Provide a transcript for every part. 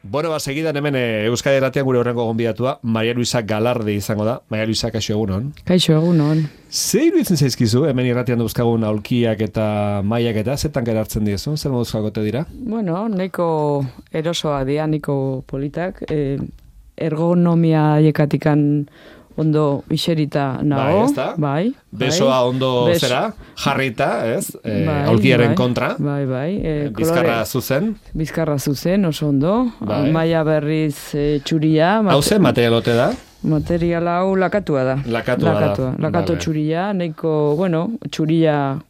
Bueno, segidan hemen Euskadi Irratian gure horrengo gonbidatua, Maria Luisa Galardi izango da. Maria Luisa, kaixo egunon. Kaixo egunon. Ze iruditzen zaizkizu, hemen irratian duzkagun aulkiak eta maiak eta, zetan gerartzen diezu, zer moduzkagote dira? Bueno, nahiko erosoa dira, nahiko politak, ergonomia haiekatikan ondo iserita nago. Bai, ezta? Bai. Besoa ondo zera, jarrita, ez? Aulkiaren kontra. Bai. Bizkarra zuzen. Bizkarra zuzen, oso ondo. Bai. Maila berriz txuria. Hau zen materialote da? Material hau lakatua da. Lakatua. Lakato txuria, nahiko, bueno, txuria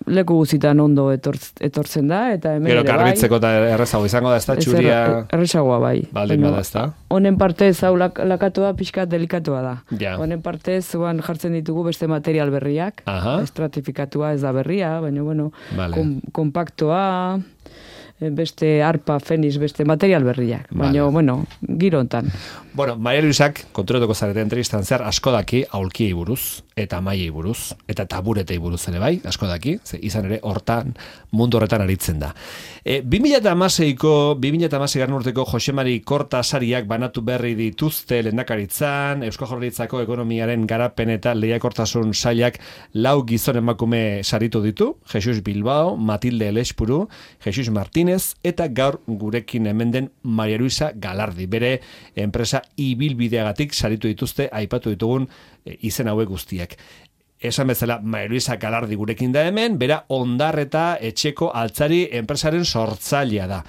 leku guzitan ondo etortzen da, eta hemen gero ere bai. garbitzeko eta errezago izango da, ez da, txuria... Errezagoa bai. Baldin bada, ez da. Honen partez, hau lakatua pixka delikatua da. Ja. Honen partez, jartzen ditugu beste material berriak. Aha. Estratifikatua ez da berria, baina, bueno, Vale. kompaktoa, beste arpa, feniz, beste material berriak. Baina, Vale. bueno, giro hontan. Bueno, Maria Luisak, konturatuko zarete entrevistan zer, asko daki aulkiei buruz, eta maiei buruz, eta taburetei buruz ere bai, asko daki, ze izan ere hortan, mundu horretan aritzen da. 2016 garren urteko Josemari Korta sariak banatu berri dituzte lehendakaritzan, Eusko Jaurlaritzako ekonomiaren garapen eta lehiakortasun sailak 4 gizon emakume saritu ditu, Jesus Bilbao, Matilde Elespuru, Jesus Martínez, eta gaur gurekin hemen den Maria Luisa Galardi, bere enpresa ibilbideagatik saritu dituzte aipatu ditugun izen hauek guztiak. Esan bezala, Maria Luisa Galardi gurekin da hemen, bera Ondarreta etxeko altzari enpresaren sortzailea da.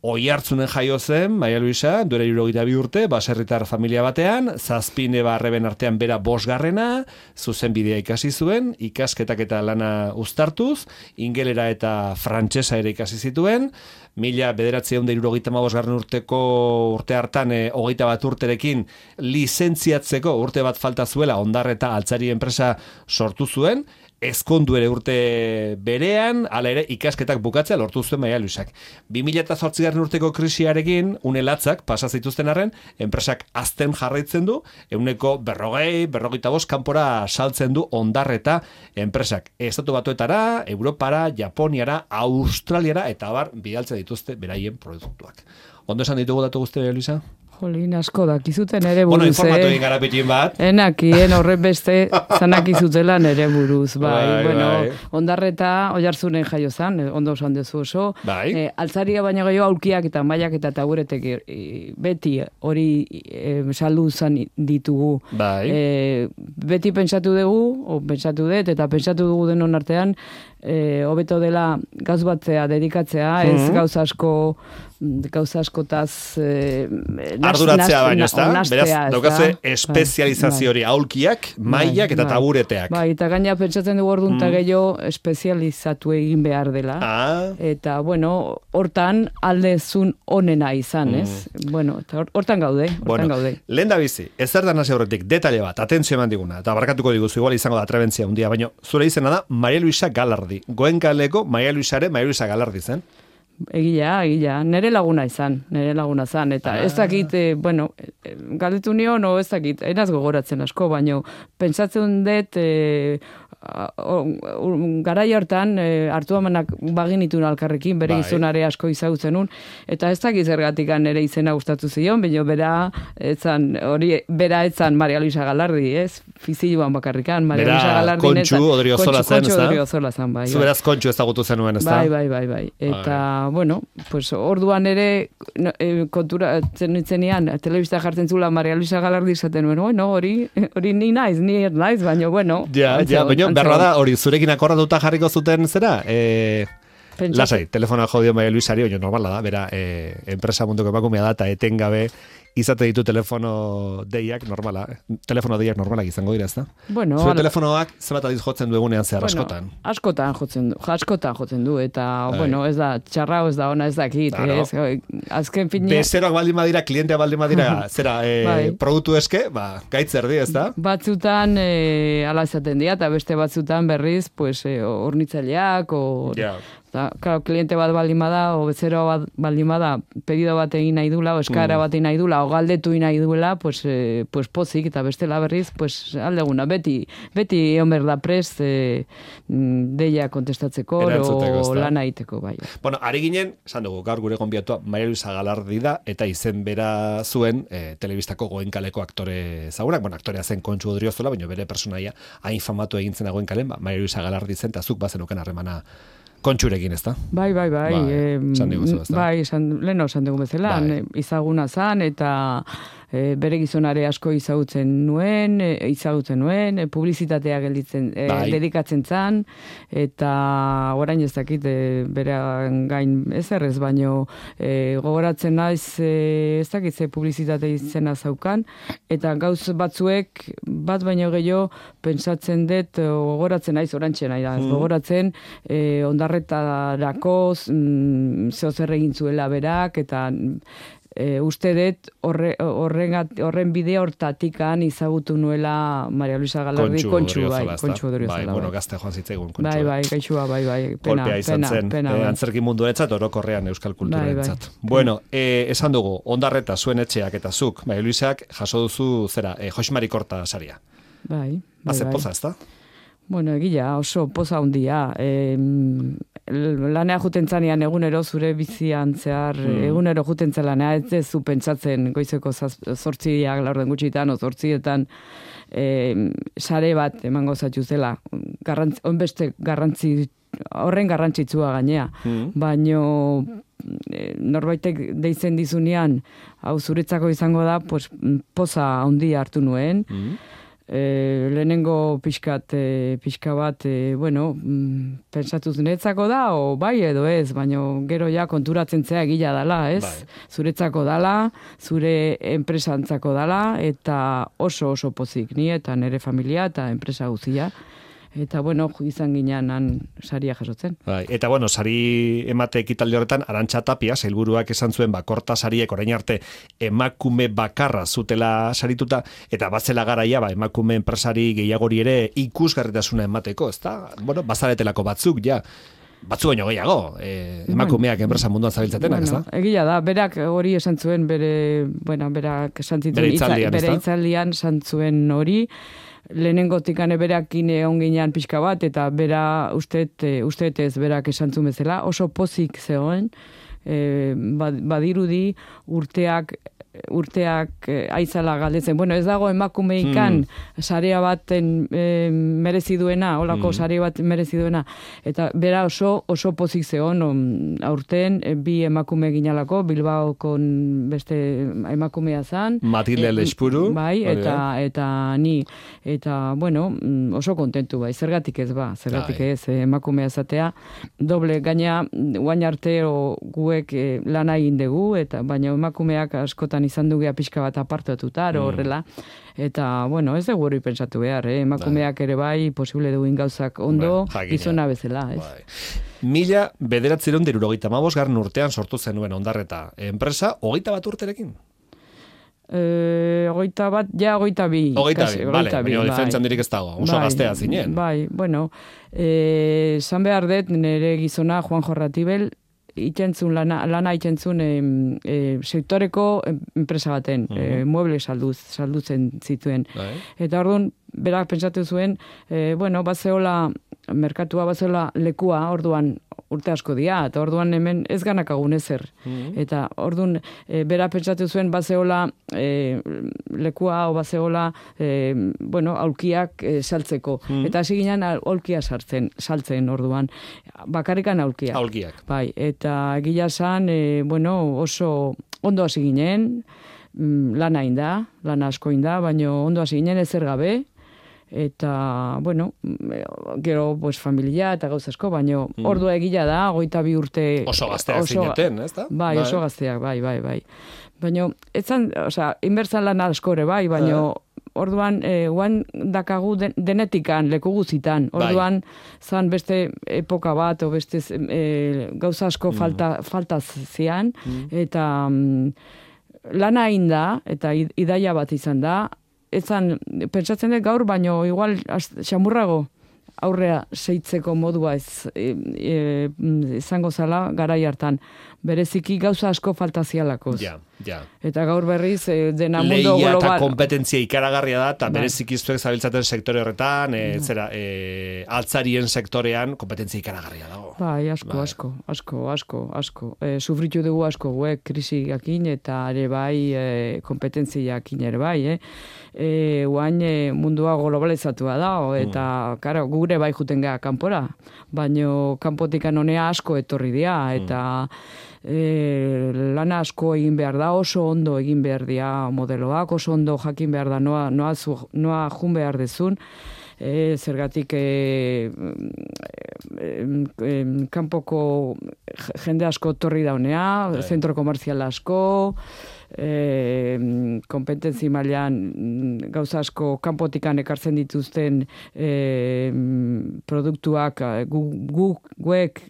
Oihartzunen jaio zen, Maria Luisa, duela 72 urte, baserritar familia batean, 7 neba-arreben artean bera 5. Zuzenbidea ikasi zuen, ikasketak eta lana uztartuz, ingelera eta frantsesa ere ikasi zituen, 1975 garren urte hartan 21 urterekin lizentziatzeko urte bat falta zuela Ondarreta altzari enpresa sortu zuen, ezkondu ere urte berean, hala ere ikasketak bukatzea lortu zuen Maria Luisak. 2008 garren urteko krisiarekin, unelatzak pasa zituzten arren, enpresak azten jarraitzen du, 40-45 kanpora saltzen du Ondarreta enpresak. Estatu Batuetara, Europara, Japoniara, Australiara, eta bar, bidaltze dituzte beraien produktuak. Ondo esan ditugu datu guzti, Maria Luisa? Jolin, asko dakizuten ere buruz, Bueno, informatu egin gara pitin bat. Enakien horren beste zanakizutela nere buruz, bai. Bueno, bai. Ondarreta Oiartzunen jaio zan, ondo esan dezu oso. Bai. Altzaria baina gehiago aulkiak eta mailak eta taburetek beti hori saldu zan ditugu. Bai. Beti pentsatu dugu, eta pentsatu dugu denon artean, hobeto dela gauz batzea, dedikatzea, ez gauza askotaz arduratzea baino, ez da? Beraz, daukazue bai. espezializazio hori aulkiak, mailak eta tabureteak. Bai, eta gaina pentsatzen dugu orduan eta gehiago espezializatu egin behar dela. Eta, bueno, hortan aldezun onena izan, ez? Bueno, eta hortan gaude, Lehen da bizi, ez zer da nasi horretik, detalle bat, atentzio eman diguna, eta barkatuko diguzu, igual izango da trebentzia un dia, baina zure izena da Maria Luisa Galardi. Goenkaleko Maria Luisa Galardi zen. Egia, nere laguna izan, eta ez dakit, bueno, galdetu nion, ez dakit, enaz gogoratzen asko, baino, pentsatzen dut, garai hortan, hartu amanak baginitun alkarrekin, bere gizonare asko izagutzen eta ez dakit zergatik nere izena gustatu zion, baina bera etzan Maria Luisa Galardi, ez? Fiziluan bakarrikan, Maria Luisa Galardi. Kontxu Odriozola zen, ez da? Kontxu Odriozola zen, bai. Zu beraz kontxu ezagutu zenuen, ez da? Bai. Eta, bueno, pues orduan ere konturatzen nintzenean, telebista jartzen zula Maria Luisa Galardi izaten nuen, bueno, hori ni naiz, baina, bueno. Ja, baina, berra da, hori zurekin akordatuta jarriko zuten zera? Lasai, telefonoa jodio Maria Luisari, oino normala da, bera, enpresa munduko emakumea da, eta etengabe izate ditu telefono deiak normalak izango dira, ez da? Bueno, zure telefonoak zebat adiz jotzen du egunean zehar askotan? Askotan jotzen du, eta, bueno, ez da, txarra ez da ona ez dakit, azken finia... Bezeroak baldin badira, klientea baldin badira, zera, produktu eske, gaitz erdi, ez da? Batzutan, ala esaten dira, eta beste batzutan berriz, pues, hornitzaileak, Da, claro, kliente bat baldin bada, o bezero bat baldin bada, pedido bat egin nahi dula, o eskara bat egin nahi dula, o galdetu egin nahi duela, pues pozik, eta bestela berriz, pues aldeguna, beti egon behar da prest, deia kontestatzeko, o lan egiteko, bai. Bueno, ari ginen, esan dugu, gaur gure gonbiatua, Maria Luisa Galardi da, eta izen bera zuen, telebistako Goenkaleko aktore zagunak, bueno, aktorea zen Kontxu Odriozola, baina bere personaia hain famatu egin zen Goenkalen, Maria Luisa Galardi zen, eta zuk bazenuken harremana Kontxurekin, ez da? Bai. Esan diguzu, ez da? Bai, leheno esan dugu bezala, izaguna zan, eta bere gizonare asko izagutzen nuen, publizitatea dedikatzen zan, eta orain ez dakit bere gain ezerrez, baino gogoratzen naiz ez dakit ze publizitate izena zaukan, eta gauz batzuek, bat baino gehiago, pentsatzen dut, gogoratzen naiz, orantxe nahi da, gogoratzen, ondarretarako zehozer egin zuela berak, eta uste dut horren bide hortatikan izagutu nuela Maria Luisa Galardi Kontxu Odriozola. Bai, bueno, gazte joan zitzaigun Kontxu. Bai, gaixua, bai. Kolpea izan zen, antzerki munduarentzat, orokorrean euskal kulturentzat. Bueno, esan dugu, ondarreta zuen etxeak eta zuk, Maria Luisak jaso duzu zera, Josmari Korta saria. Bai. Haze poza, ez da? Bueno, egia, oso poza hundia. Lanea juten zanean egunero zure bizian zehar, egunero juten lanea, ez zu pentsatzen goizeko 8 laurden gutxitan, o 8etan sare bat emango zaitu zela. Horren garrantzitsua gainea. Baino norbaitek deitzen dizunean, hau zuretzako izango da, pues, poza handia hartu nuen. Lehenengo pixka bat, pentsatuz netzako da, o bai edo ez, baina gero ja konturatzen zea egila dala, ez? Bai. Zuretzako dala, zure enpresantzako dala, eta oso pozik ni, eta nire familia, eta enpresa guzia. Eta, izan ginean saria jasotzen. Bai, eta, sari emate ekitaldi horretan, Arantxa Tapia, sailburuak esan zuen, Korta sariek orain arte emakume bakarra zutela sarituta, eta batzela garaia, emakume enpresari gehiagori ere ikusgarritasuna emateko, ezta? Bazaretelako batzuk, ja. Batzu baino gehiago, emakumeak enpresa munduan zabiltzatenak, ez da? Egia da, berak hori esan zuen, berak esan zituen, bere itzaldian esan zuen hori, lehenengotik berakin egon ginean pixka bat, eta bera ustetez berak esantzun bezala, oso pozik zegoen, badirudi urteak aizala galdetzen. Ez dago emakumeikan sarea baten merezi duena, holako sare bat merezi duena. Eta bera oso pozik zegoen, aurten bi emakume ginalako, Bilbaoko beste emakumea zan. Matilde Lespuru. Bai, eta ni. Eta, oso kontentu bai. Zergatik ez ez emakumea zatea. Doble, gaina, guain arte guek lana egin dugu, baina emakumeak askotan izan dugea pixka bat apartatuta, horrela. Eta, ez dugu hori pentsatu behar, emakumeak ere bai, posible dugin gauzak ondo, gizona bezala, ez? 1975 urtean sortu zenuen Ondarreta enpresa, 21 urterekin? 22. 22, bale, baina diferentzan dirik ez dago, oso gaztea zinen. Bai, zan behar dut, nire gizona Juan Jorratibel, lana ikentzun sektoreko enpresa baten, mueble saldutzen zituen. Eta orduan, berak pentsatu zuen, bazeola, merkatua bazeola lekua, orduan urte asko dia, eta orduan hemen ez ganakagun ezer. Eta orduan, berak pentsatu zuen, bazeola lekua, o bazeola, aulkiak saltzeko. Eta hasi ginen aulkia saltzen orduan. Bakarrikan aulkiak. Aulkiak. Bai, eta gila zan, oso ondo hasi ginen, lana inda, lana asko inda, baina ondo hasi ginen ezer gabe, eta, gero, familia eta gauz asko, baina ordua egila da, 22 urte... Oso gazteak zineten, ez da? Bai, oso gazteak, bai. Baina, etzan, inbertzan lan askore, bai, baina orduan, guan dakagu denetikan, leku guzitan, orduan, zan beste epoka bat, o beste gauza asko falta zian, eta lana egin da, eta idaia bat izan da, etzan, pentsatzen dut gaur, baino igual xamurrago aurrea seitzeko modua izango zala garai hartan. Bereziki gauza asko faltazialakoz. Ja. Eta gaur berriz dena mundu global. Leia eta kompetentzia ikaragarria da, eta bereziki zuek zabiltzaten sektore horretan, altzarien sektorean kompetentzia ikaragarria dago. Bai, asko. Sufritu dugu asko, krisiakin eta ere bai kompetentziakin ere bai, Oain mundua globalizatua da, eta karo, gure bai juten geha kanpora, baino kanpotikan honea asko etorri dira, eta lana asko egin behar da, oso ondo egin behar dira modeloak, oso ondo jakin behar da noa jun behar dezun, zergatik kanpoko jende asko torri daunea, zentro komerzial asko, kompetentzi mailan gauza asko kanpotikan ekartzen dituzten produktuak guek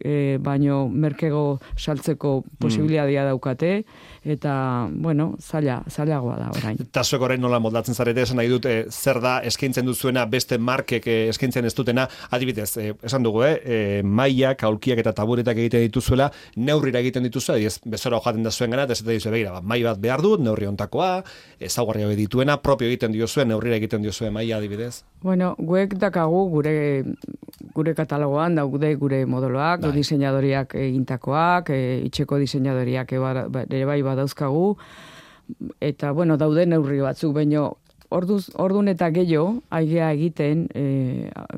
baino merkego saltzeko posibilitatea daukate, eta, zailagoa da orain. Eta zuek orain nola moldatzen zarete, esan nahi dut, zer da eskaintzen duzuena beste markek eskaintzen ez dutena, adibidez, esan dugu, mailak, aulkiak eta taburetak egiten dituzuela, neurrira egiten dituzuela, bezora hojaten da zuen gana, eta ez da begira, mai bat behar dut, neurri ontakoa, ezaugarri hori dituena, propio egiten diozuen, neurrira egiten diozuen maila adibidez. Guek dakagu gure katalogoan daude gure modeloak, diseinadoriak egintakoak, itxeko diseinadoriak ere bai badauzkagu, eta daude neurri batzuk, baino ordun eta gehiago aigea egiten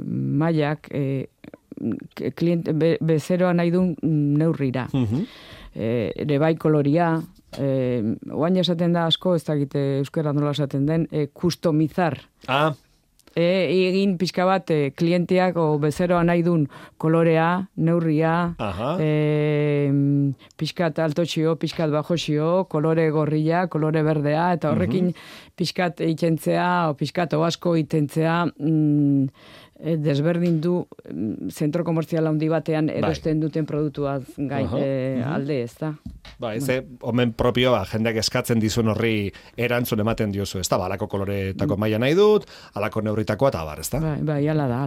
mailak bezeroa nahi duen neurrira. Ere bai koloria, oain esaten da asko, ez dakite euskera nola esaten den, kustomizar. Egin pixka bat klienteak o bezeroa nahi duen kolorea, neurria, pixkat altotxio, pixkat bajoxio, kolore gorria, kolore berdea, eta horrekin pixkat eikentzea, o pixkat oasko itentzea, desberdin du zentro komerzial handi batean erosten duten produktuaz alde, ez da? Omen propioa, jendeak eskatzen dizun horri erantzun ematen diozu, ez da? Alako koloretako maila nahi dut, alako neurritakoa eta bar, ez da? Bai, ala da.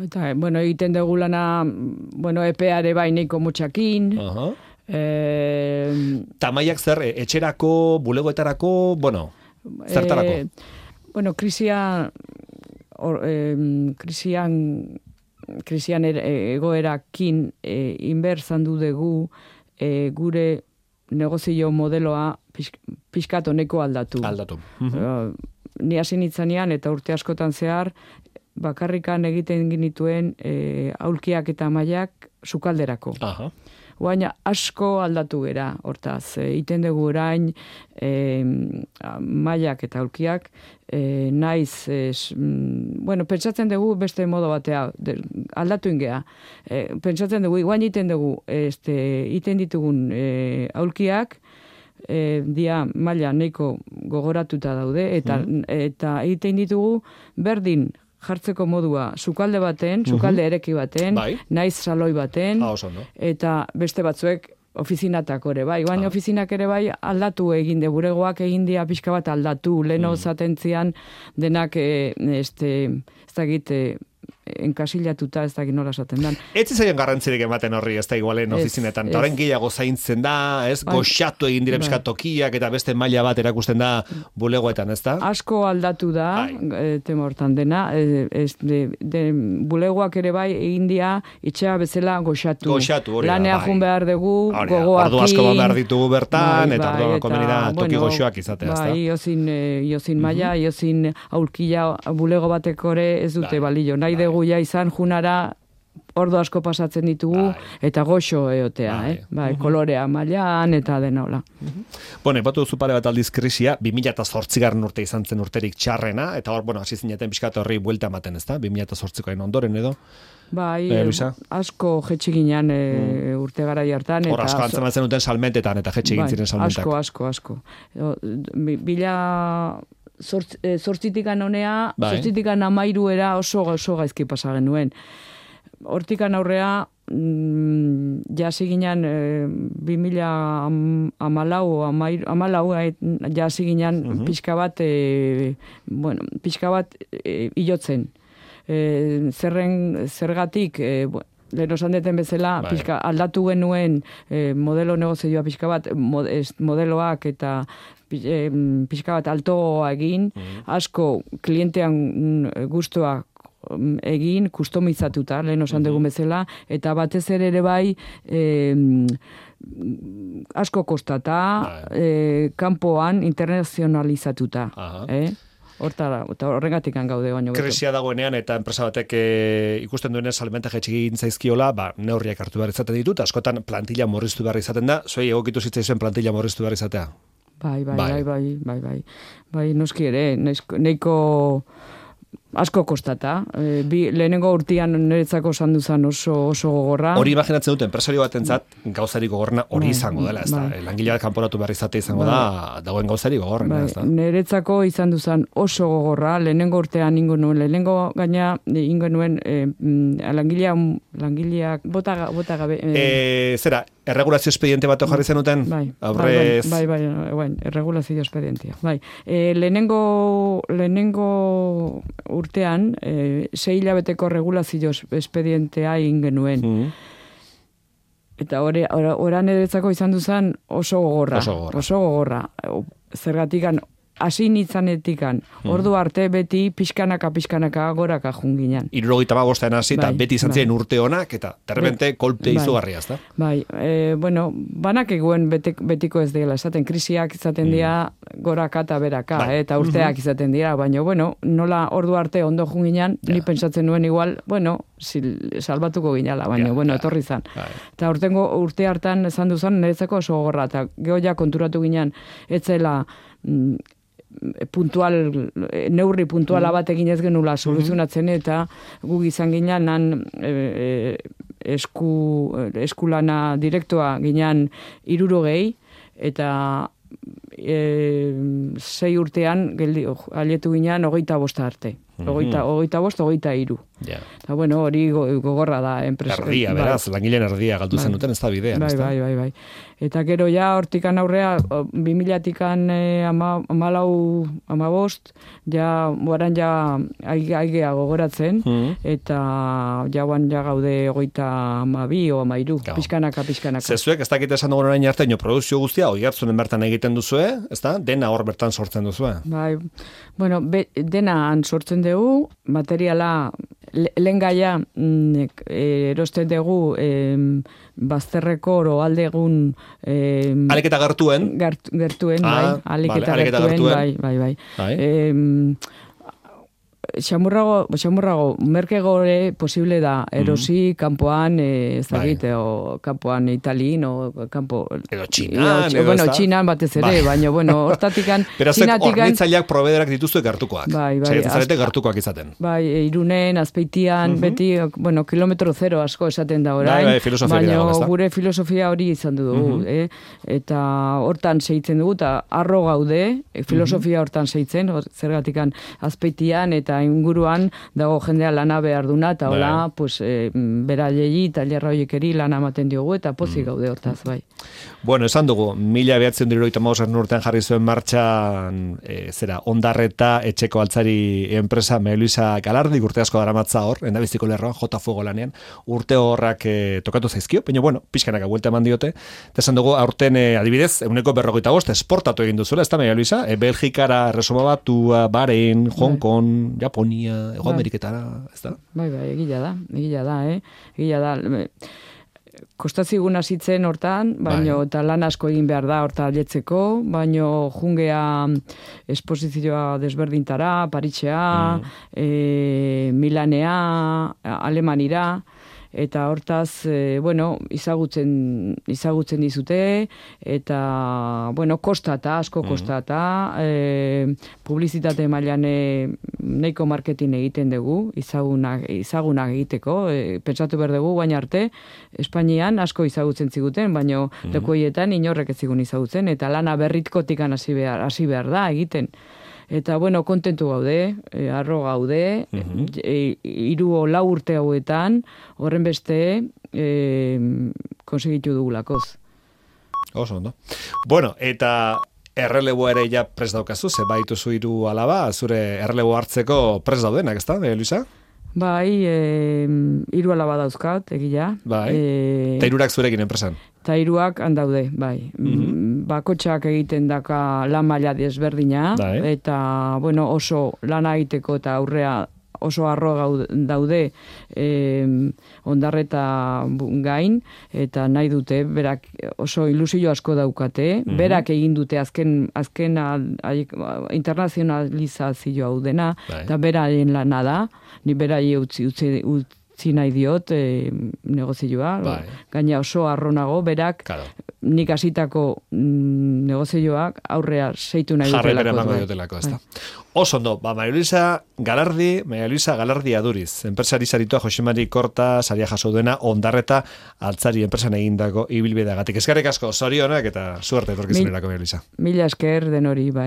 Eta, egiten dugu lana, epeare bai neiko mutxakin, tamaiak zer, etxerako, bulegoetarako, zertarako? Krisian egoerakin inberzandu dugu gure negozio modeloa pixkat honeko aldatu. Ni hasi nitzanean eta urte askotan zehar bakarrikan egiten genituen aulkiak eta mailak sukalderako. Baina asko aldatu gera, hortaz, iten dugu orain mailak eta aulkiak, naiz, pentsatzen dugu beste modo batea, aldatu ingea. Pentsatzen dugu, guain iten dugu, iten ditugun aulkiak, dia maila nahiko gogoratuta daude, eta iten ditugu berdin jartzeko modua sukalde baten, sukalde ereki baten, naiz saloi baten, eta beste batzuek ofizinatako ere bai. Baina ofizinak ere bai aldatu egin de, buregoak egin dia pixka bat aldatu, leno zatentzian denak ez dakit enkasilatuta, ez dakit nola esaten dan. Ez zaion garrantzirik ematen horri, ez da igualen ofizinetan, eta horren gehiago zaintzen da, ez, goxatu egin dire tokiak eta beste maila bat erakusten da bulegoetan, ez da? Asko aldatu da, tema hortan dena, bulegoak ere bai egin dia itxea bezala goxatu. Goxatu, hori da, lanea jun behar dugu, gogoakin. Ordu asko behar ditugu bertan, eta orduan komeni da toki goxoak izatea, ez da? Iozin maila, iozin aulkia bulego bateko ere ez dute balio. Nahi dugu ja izan junara ordu asko pasatzen ditugu eta goxo eotea, kolorea mailan eta dena hola. Epatu duzu pare bat aldiz krisia, 2008 urte izan zen urterik txarrena, eta hor, hasi zineten pixkat horri buelta ematen, ez da? 2008koen ondoren edo? Bai, asko jetxiginan urte garai hartan. Hor asko antzematzen duten salmentetan, eta jetxigin ziren salmentak. Asko. Zortzitikan honea, zortzitikan amairuera oso gaizki pasa genuen. Hortikan aurrea, jasi ginen 2014 jasi ginen pixka bat ilotzen. zergatik, lehen osan deten bezala, pixka, aldatu genuen modelo negozioa pixka bat, modeloak eta pixka bat altoa egin, asko klientean guztua egin, kustomizatuta, lehen osan dugun bezala, eta batez ere bai, asko kostata, kanpoan internazionalizatuta. Horregatik gaude baino. Krisia dagoenean eta enpresa batek ikusten duenez salmenta jaitsi egin zaizkiola, neurriak hartu behar izaten ditut, askotan plantilla murriztu behar izaten da, zuei egokitu zitzaizuen plantilla murriztu behar izatea? Bai, noski ere, neiko asko kostata. Lehenengo urtean niretzako sandu zen oso gogorra. Hori imaginatzen dut, enpresario batentzat gauzari gogorna hori izango dela, ez da? Langilea kanporatu behar izate izango da, dagoen gauzari gogorrena, ez da? Niretzako izan duzan oso gogorra, lehenengo urtean ingo nuen, lehenengo gaina ingo nuen langileak bota gabe. Zera, erregulazio expediente bat jarri zenuten? Bai, erregulazio expedientia. Bai, lehenengo urtean, 6 hilabeteko regulazio expedientea egin genuen. Eta oran eretzako izan duzan oso gogorra. Zergatikan, hasi nitzanetikan, ordu arte beti pixkanaka goraka junginan. 75 hasi eta beti izan ziren urte honak eta terrepente kolpe izugarria, ezta? Bai, banak eguen betiko ez dela, esaten krisiak izaten dira goraka eta beraka, eta urteak izaten dira, baina, nola ordu arte ondo junginan, ni pentsatzen nuen igual, salbatuko ginala, baina, etorri zan. Eta urte hartan esan duzan, niretzako oso gogorra, eta geho ja konturatu ginen, etzela neurri puntuala bat egin ez genula soluzionatzen eta guk izan ginen eskulana direktoa ginen 60 eta 6 urtean alietu ginen 25 arte. 23. Eta hori gogorra da enpresa. Erdia, beraz, langileen erdia galdu zen duten ez da bidean. Bai. Eta gero ja hortikan aurrea 2000-tikan 14, oran aigea gogoratzen, eta jauan gaude 32 o 13, pixkanaka. Zezuek, ez dakit esan dugun orain arte, produzio guztia, oihartzunen bertan egiten duzue, ez da? Dena hor bertan sortzen duzue. Bai, dena sortzen dugu, materiala lehen gaia erosten dugu bazterreko oro aldegun aliketa gertuen, aliketa gertuen, bai. Xamurrago, merke gore posible da, erosi kanpoan, ez dakit, o kanpoan Italin, o kanpo... Edo Txinan, Txinan batez ere, baina, hortatikan... Berazek hornitzaileak probederak dituzue gertukoak. Zaiatzen zarete gertukoak izaten. Bai, Irunen, Azpeitian, beti, kilometro zero asko esaten da orain, baina gure filosofia hori izan dugu, eta hortan segitzen dugu, eta arro gaude, filosofia hortan segitzen, zergatikan Azpeitian, eta inguruan dago jendea lana behar duna, eta hola, beraiei, talerra hoiekeri lana ematen diogu, eta pozik gaude hortaz, bai. Bueno, esan dugu, 1975 urtean jarri zuen martxan, Ondarreta etxeko altzari enpresa Maria Luisa Galardi, urte asko daramatza hor, endabiziko lerroan, J Fuego lanean, urte horrak tokatu zaizkio, baina, pixkanaka buelta eman diote, eta esan dugu, aurten adibidez, 145 esportatu egin duzuela, ez da Maria Luisa, Belgikara, Erresuma Batua, Bahrein, Hong Kong, Japonia, Ego Ameriketara, ez da? Bai, egila da. Kostatziguna zitzen hortan, baino eta lan asko egin behar da horta aletzeko, baino jungea esposizioa desberdintara, Parisea, Milanea, Alemanira, eta hortaz, izagutzen dizute, eta, asko kostata, publizitate mailan neiko marketing egiten dugu, izagunak egiteko, pentsatu behar dugu, baina arte, Espainian asko izagutzen ziguten, baina lekueietan inorrek ez zigun izagutzen, eta lana berritkotikan hasi behar da egiten. Eta, kontentu gaude, arro gaude, 3 o 4 urte hauetan, horren beste, konsegitu dugulakoz. Oso, ondo. Bueno, eta erreleboa ere ja prest daukazu, ze baituzu 3 alaba, zure errelebo hartzeko prest daudenak, ez da, Luisa? Bai, 3 alaba dauzkat, egia. Bai, eta 3 zurekin enpresan. Eta 3 handaude, bai. Bakotxak egiten daka lan maila desberdina, eta, bueno, oso lana egiteko eta aurrea oso arro daude ondarreta gain, eta nahi dute, berak oso ilusio asko daukate, berak egin dute azken internazionalizazio hau dena, eta beraren lana da, ni berai utzi nahi diot negozioa, gaina oso arronago, berak nik hasitako negozioak aurrea seitu nahi dutelako. Jarrepera emango diotelako, ez da. Oso ondo, Maria Luisa Galardi Aduriz, enpresari saritua Jose Mari Korta saria jaso duena ondarreta altzari enpresan egindako ibilbideagatik. Eskerrik asko, zorionak eta suerte etorkizunerako, Maria Luisa. Mila esker denori, bai.